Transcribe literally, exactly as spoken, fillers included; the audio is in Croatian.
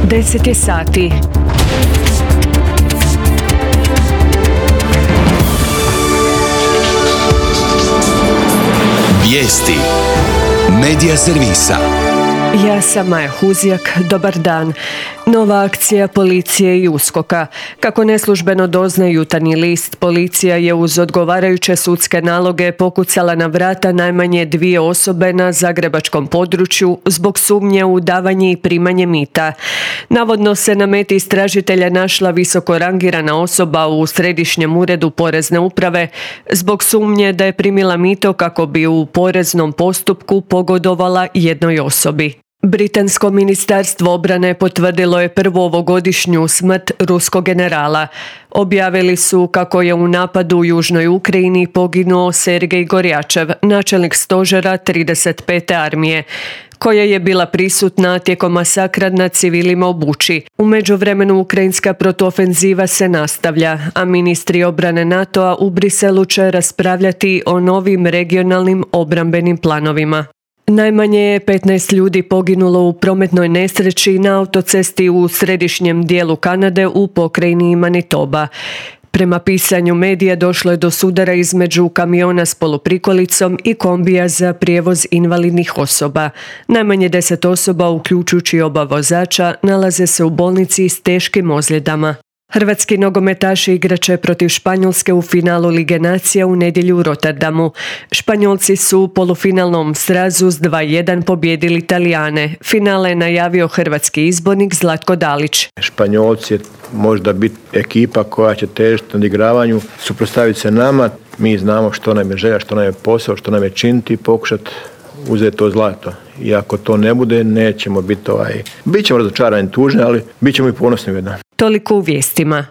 deset je sati. Vijesti Medija servisa. Ja sam Maja Huzjak, dobar dan. Nova akcija policije i uskoka. Kako neslužbeno doznaje Jutarnji list, policija je uz odgovarajuće sudske naloge pokucala na vrata najmanje dvije osobe na zagrebačkom području zbog sumnje u davanje i primanje mita. Navodno se na meti istražitelja našla visoko rangirana osoba u Središnjem uredu Porezne uprave zbog sumnje da je primila mito kako bi u poreznom postupku pogodovala jednoj osobi. Britansko ministarstvo obrane potvrdilo je prvu ovogodišnju smrt ruskog generala. Objavili su kako je u napadu u Južnoj Ukrajini poginuo Sergej Gorjačev, načelnik stožera trideset pete armije, koja je bila prisutna tijekom masakra nad civilima u Buči. U međuvremenu ukrajinska protuofenziva se nastavlja, a ministri obrane NATO-a u Briselu će raspravljati o novim regionalnim obrambenim planovima. Najmanje je petnaest ljudi poginulo u prometnoj nesreći na autocesti u središnjem dijelu Kanade u pokrajini Manitoba. Prema pisanju medija došlo je do sudara između kamiona s poluprikolicom i kombija za prijevoz invalidnih osoba. Najmanje deset osoba, uključujući oba vozača, nalaze se u bolnici s teškim ozljedama. Hrvatski nogometaši igrat će protiv Španjolske u finalu Lige nacija u nedjelju u Rotterdamu. Španjolci su u polufinalnom srazu s dva jedan pobijedili Talijane. Finale je najavio hrvatski izbornik Zlatko Dalić. Španjolci je možda biti ekipa koja će težiti na odigravanju, suprotstaviti se nama. Mi znamo što nam je želja, što nam je posao, što nam je činiti i pokušati uzeti to zlato. I ako to ne bude, nećemo biti ovaj... Bićemo razočarani, tužni, ali bit ćemo i ponosni jedan. Toliko u vijestima.